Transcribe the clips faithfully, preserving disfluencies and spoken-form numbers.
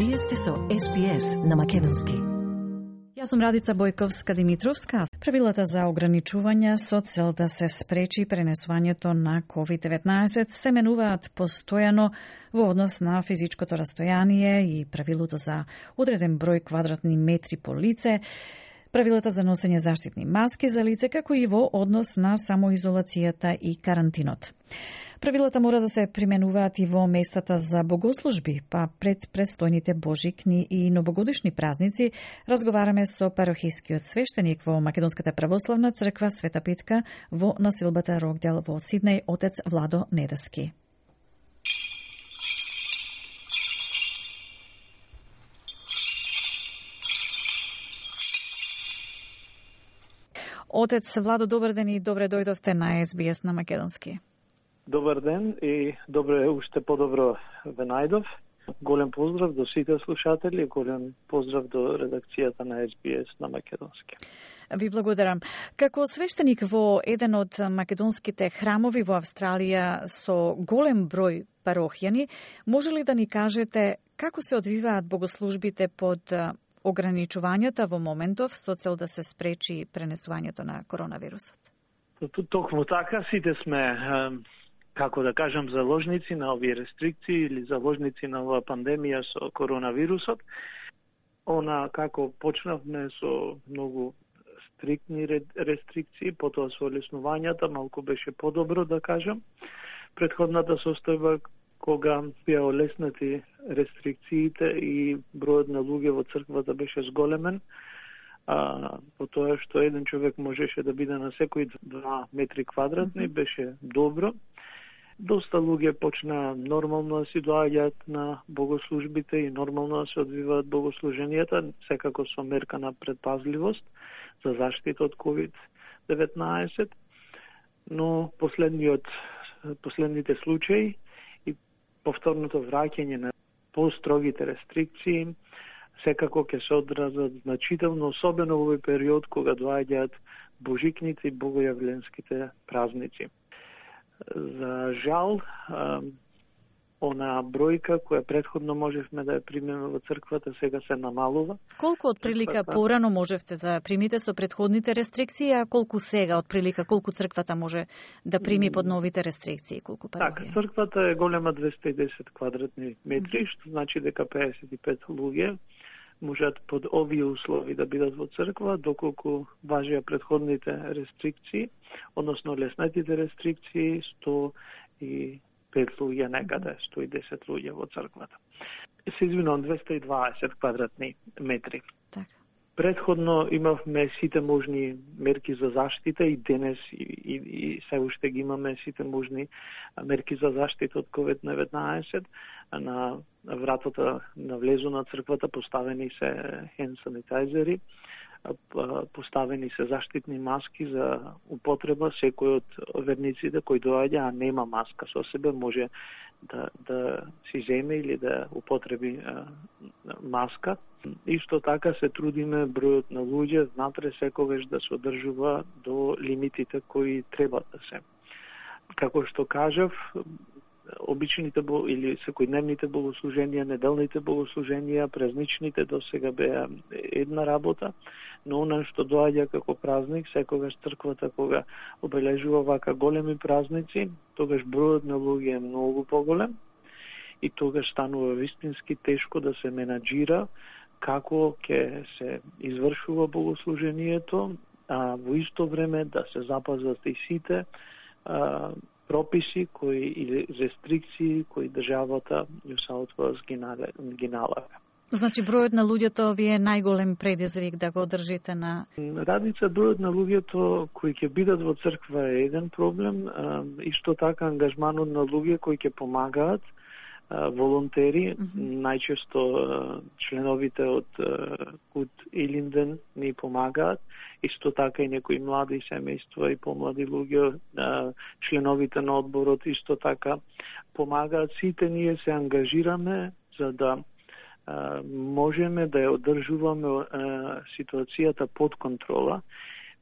Вие сте со Ес Би Ес на македонски. Јас сум Радица Бојковска-Димитровска. Правилата за ограничување со цел да се спречи пренесувањето на ковид деветнаесет се менуваат постојано во однос на физичкото растојание и правилото за одреден број квадратни метри по лице, правилата за носење заштитни маски за лице, како и во однос на самоизолацијата и карантинот. Правилата мора да се применуваат и во местата за богослужби, па пред престојните божикни и новогодишни празници разговараме со парохискиот свештеник во Македонската православна црква Света Петка во населбата Рокдел во Сиднеј, отец Владо Недаски. Отец Владо, добар ден и добре дојдовте на Ес Би Ес на македонски. Добар ден и добре уште подобро ве најдов. Голем поздрав до сите слушатели, голем поздрав до редакцијата на Ес Би Ес на македонски. Ви благодарам. Како свештеник во еден од македонските храмови во Австралија со голем број парохјани, може ли да ни кажете како се одвиваат богослужбите под ограничувањата во моментов со цел да се спречи пренесувањето на коронавирусот? Токму така, сите сме, како да кажам, заложници на овие рестрикции или заложници на оваа пандемија со коронавирусот. Она како почнавме со многу стриктни рестрикции, потоа со олеснувањата малку беше подобро, да кажам. Претходната состојба кога беа олеснати рестрикциите и бројот на луѓе во црквата беше зголемен, а, по тоа што еден човек можеше да биде на секои два метри квадратни, беше добро. Доста луѓе почна нормално да си доаѓаат на богослужбите и нормално да се одвиваат богослуженијата, секако со мерка на предпазливост за заштита од ковид деветнаесет, но последниот, последните случаи и повторното враќање на построгите рестрикции секако ќе се одразат значително, особено во овој период кога доаѓаат божикните и богојавленските празници. За жал, она бројка која претходно можевме да ја примеме во црквата сега се намалува. Колку од прилика порано можевте да примите со претходните рестрикции, а колку сега од прилика, колку црквата може да прими под новите рестрикции, колку парохија? Така, црквата е голема двесте и десет квадратни метри, што значи дека пеесет и пет луѓе можат под овие услови да бидат во црква, доколку важија претходните рестрикции, односно леснетите рестрикции, сто и пет луѓе некаде, сто и десет луѓе во црквата. Се извинувам, двесте и дваесет квадратни метри. Так. Предходно имавме сите можни мерки за заштита и денес и, и, и се уште ги имаме сите можни мерки за заштита од ковид деветнаесет. На вратата на влезу на црквата поставени се хенд санитайзери, поставени се заштитни маски за употреба. Секој од верниците кој доаѓа, а нема маска со себе, може да, да си земе или да употреби а, маска. Исто така се трудиме бројот на луѓе внатре секогаш да се одржува до лимитите кои треба да се. Како што кажав, обичните или секојдневните богослуженија, неделните богослуженија, празничните до сега беа една работа, но она што доаѓа како празник, секогаш црквата кога обележува вака големи празници, тогаш бројот на луѓе е многу поголем и тогаш станува вистински тешко да се менаџира како ќе се извршува богослужението, а во исто време да се запазат и сите а, прописи кои или рестрикции кои државата New South Wales ги налага. Значи бројот на луѓето ви е најголем предизвик да го одржите на... Радица, бројот на луѓето кои ќе бидат во црква е еден проблем, исто така ангажманот на луѓе кои ќе помагаат, волонтери, mm-hmm. најчесто членовите од Кут Илинден ни помагаат, исто така и некои млади семејства и помлади луѓе, членовите на одборот исто така помагаат. Сите ние се ангажираме за да можеме да ја одржуваме ситуацијата под контрола.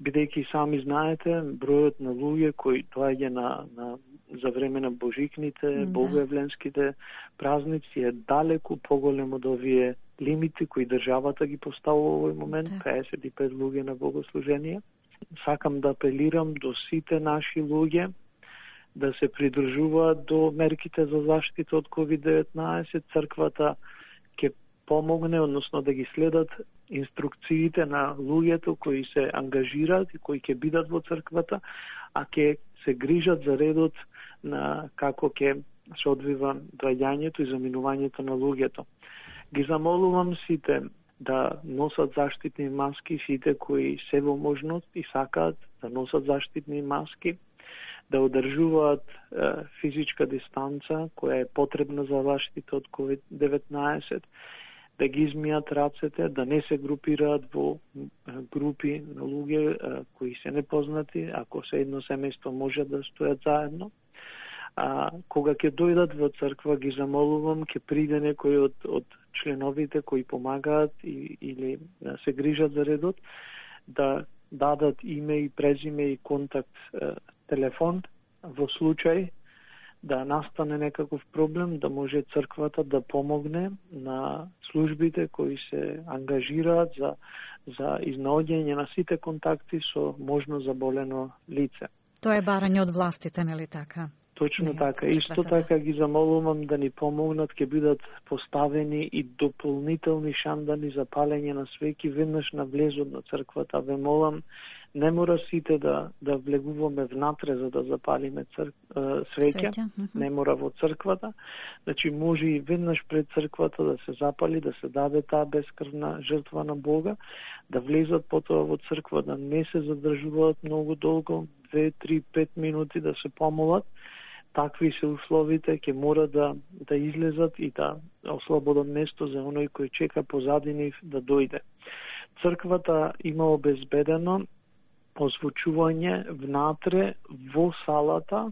бидејќи сами знаете, бројот на луѓе кои доаѓа на, на за време на божикните, да. богојавленските празници е далеку поголем од овие лимити кои државата ги поставува во овој момент, да. педесет и пет луѓе на богослужение. Сакам да апелирам до сите наши луѓе да се придржуваат до мерките за заштита од ковид деветнаесет. Црквата ќе помогне, односно да ги следат инструкциите на луѓето кои се ангажираат и кои ќе бидат во црквата, а ќе се грижат за редот на како ќе се одвива доаѓањето и заминувањето на луѓето. Ги замолувам сите да носат заштитни маски, сите кои се во можност и сакаат да носат заштитни маски, да одржуваат е, физичка дистанца која е потребна за заштита од ковид деветнаесет, да ги измијат рацете, да не се групираат во групи на луѓе е, кои се непознати, ако се едно семејство може да стојат заедно. А, кога ќе дојдат во црква, ги замолувам, ќе приде некој од, од членовите кои помагаат и, или да се грижат за редот, да дадат име и презиме и контакт е, телефон во случај да настане некаков проблем, да може црквата да помогне на службите кои се ангажираат за, за изнаоѓање на сите контакти со можно заболено лице. Тоа е барање од властите, нели така? Точно не, така. Исто така ги замолувам да ни помогнат, ќе бидат поставени и дополнителни шандани за палење на свеќи веднаш на влезот на црквата. Ве молам, не мора сите да да влегуваме внатре за да запалиме црк... свеќа, mm-hmm. не мора во црквата. Значи може и веднаш пред црквата да се запали, да се даде таа бескрвна жртва на Бога, да влезат потоа во црква, да не се задржуваат многу долго, две, три, пет минути да се помолат. Такви се условите, ќе мора да да излезат и да ослободат место за оној кој чека позади нив да дојде. Црквата има обезбедено озвучување внатре во салата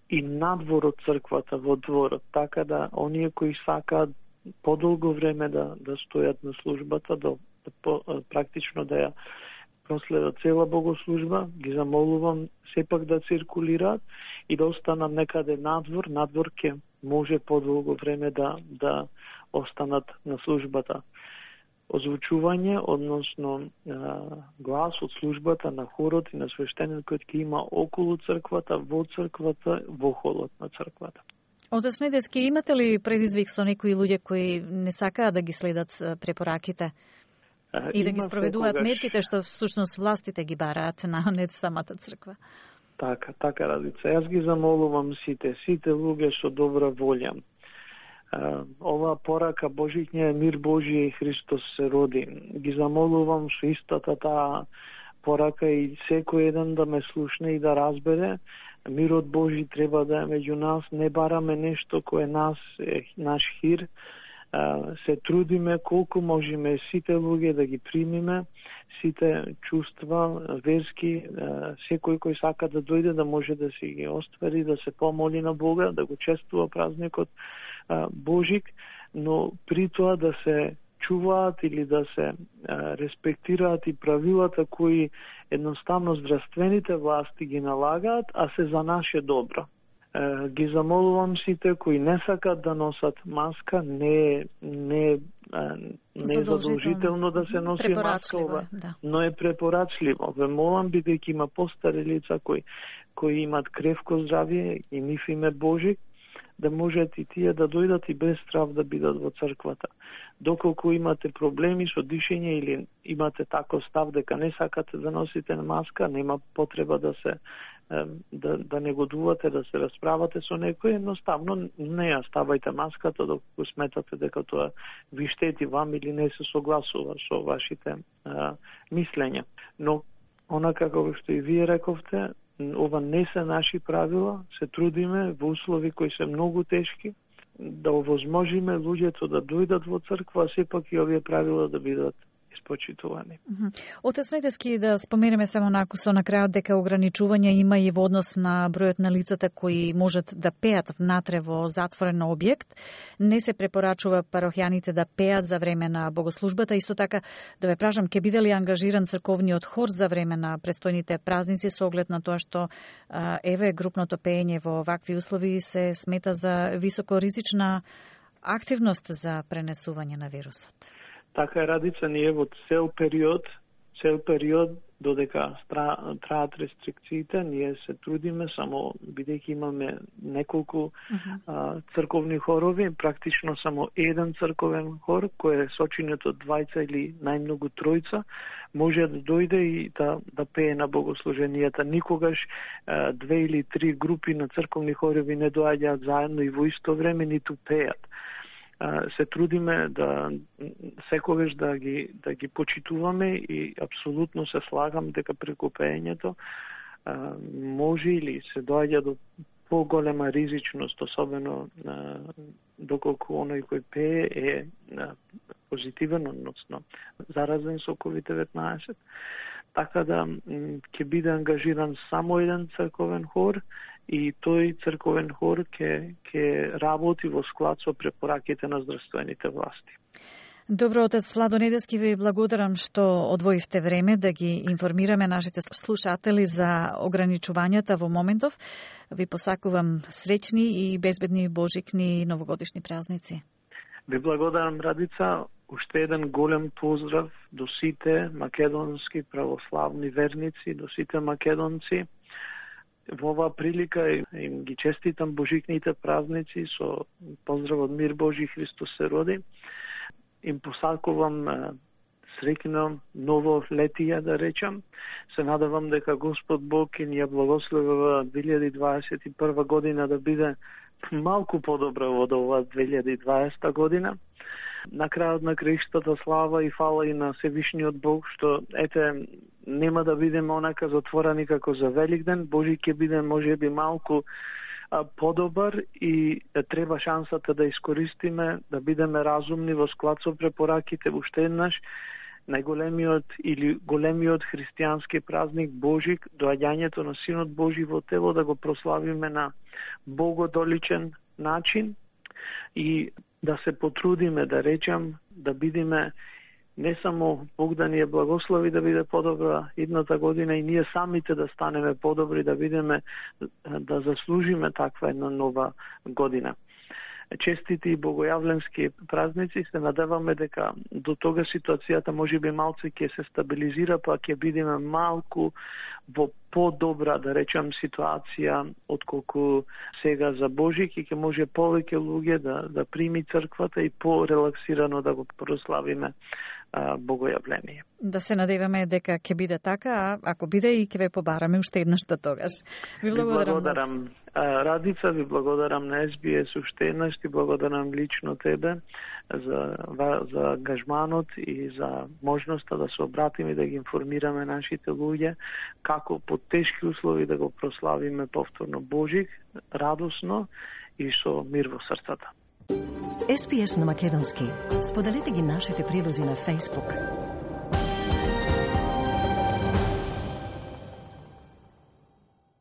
и надвор од црквата во дворот, така да оние кои сакаат подолго време да да стојат на службата, да, да практично да ја проследат цела богослужба, ги замолувам сепак да циркулираат и да останат некаде надвор. Надвор ќе може подолго време да да останат на службата. Озвучување, односно глас од службата на хорот и на свештеникот ќе има околу црквата, во црквата, во холот на црквата. Отец Недески, имате ли предизвик со некои луѓе кои не сакаат да ги следат препораките и да ги спроведуваат секогаш мерките што всушност властите ги бараат на не самата црква? Така, така Радица. Јас ги замолувам сите, сите луѓе со добра волја. Ова порака Божиќниот е мир Божи и Христос се роди. Ги замолувам со истата таа порака и секој еден да ме слушне и да разбере. Мирот Божи треба да е меѓу нас. Не бараме нешто кое нас е наш хир. Се трудиме колку можеме сите луѓе да ги примиме, сите чувства, верски, секој кој сака да дојде да може да си ги оствари, да се помоли на Бога, да го чествува празникот Божик, но при тоа да се чуваат или да се респектираат и правилата кои едноставно здравствените власти ги налагаат, а се за наше добро. Ги замолувам сите кои не сакат да носат маска, не не не е задолжително да се носи маска, ова, да. Но е препорачливо. Ве молам, бидејќи има постари лица кои кои имаат кревко здравје и нив им е Божик, да можат и тие да дојдат и без страв да бидат во црквата. Доколку имате проблеми со дишење или имате тако став дека не сакате да носите маска, нема потреба да се да, да негодувате, да се расправате со некој, едноставно не ја ставајте маската доколку сметате дека тоа ви штети вам или не се согласува со вашите а, мислења. Но, онака како што и вие рековте, ова не се наши правила, се трудиме во услови кои се многу тешки, да овозможиме луѓето да дојдат во црква, а сепак и овие правила да бидат испочитувани. Отец Недески, да споменеме само накусо на крајот дека ограничувања има и во однос на бројот на лицата кои можат да пеат внатре во затворен објект. Не се препорачува парохјаните да пеат за време на богослужбата. Исто така, да ве прашам, ќе биде ли ангажиран црковниот хор за време на престојните празници со оглед на тоа што еве групното пеење во вакви услови се смета за високоризична активност за пренесување на вирусот? Така е, Радица, ние во цел период, цел период додека траат рестрикциите, ние се трудиме, само бидејќи имаме неколку uh-huh. а, црковни хорови, практично само еден црковен хор кој е сочинет од двајца или најмногу тројца, може да дојде и да, да пее на богослуженијата. Никогаш а, две или три групи на црковни хорови не доаѓаат заедно и во исто време ниту пеат. Се трудиме да секогаш да ги да ги почитуваме и апсолутно се слагам дека преку пеењето може или се доаѓа до поголема ризичност, особено доколку оној кој пее е позитивен, односно заразен со ковид деветнаесет. Така да ќе биде ангажиран само еден црковен хор и тој црковен хор ќе ќе работи во склад со препораките на здравствените власти. Добро, отец Владо Недески, ви благодарам што одвоивте време да ги информираме нашите слушатели за ограничувањата во моментов. Ви посакувам среќни и безбедни божикни и новогодишни празници. Ви благодарам, Радица. Уште еден голем поздрав до сите македонски православни верници, до сите македонци. Во оваа прилика им ги честитам божикните празници со поздрав од мир Божи, Христос се роди. Им посакувам среќно ново летие, да речам. Се надевам дека Господ Бог ќе ни ја благослови две илјади дваесет и прва година да биде малку подобра од оваа две илјади и дваесета година. На крајот на краиштата слава и фала и на Севишниот Бог, што ете нема да бидеме онака затворени како за Великден. Божи ќе биде можеби малку а, подобар и а, треба шансата да искористиме, да бидеме разумни во склад со препораките. Уште еднаш, најголемиот или големиот христијански празник Божик, доаѓањето на Синот Божи во тело, да го прославиме на богодоличен начин и да се потрудиме, да речам, да бидеме не само Бог да ни е благослови да биде подобра идната година и ние самите да станеме подобри, да бидеме, да заслужиме таква една нова година. Честити и богојавленски празници, се надеваме дека до тога ситуацијата може би малце ќе се стабилизира, па ќе бидеме малку во подобра, да речам, ситуација отколку сега за Божик и ќе може повеќе луѓе да, да прими црквата и порелаксирано да го прославиме а, богојавление. Да се надеваме дека ќе биде така, а ако биде и ќе ве побараме уште еднаш до тогаш. Ви благодарам. Ви благодарам. Радица, ви благодарам на Ес Би Ес уште еднаш, ти благодарам лично тебе за, за ангажманот и за можноста да се обратиме и да ги информираме нашите луѓе како под тешки услови да го прославиме повторно Божик, радосно и со мир во срцата. Ес Би Ес на македонски. Споделете ги нашите прилози на Facebook.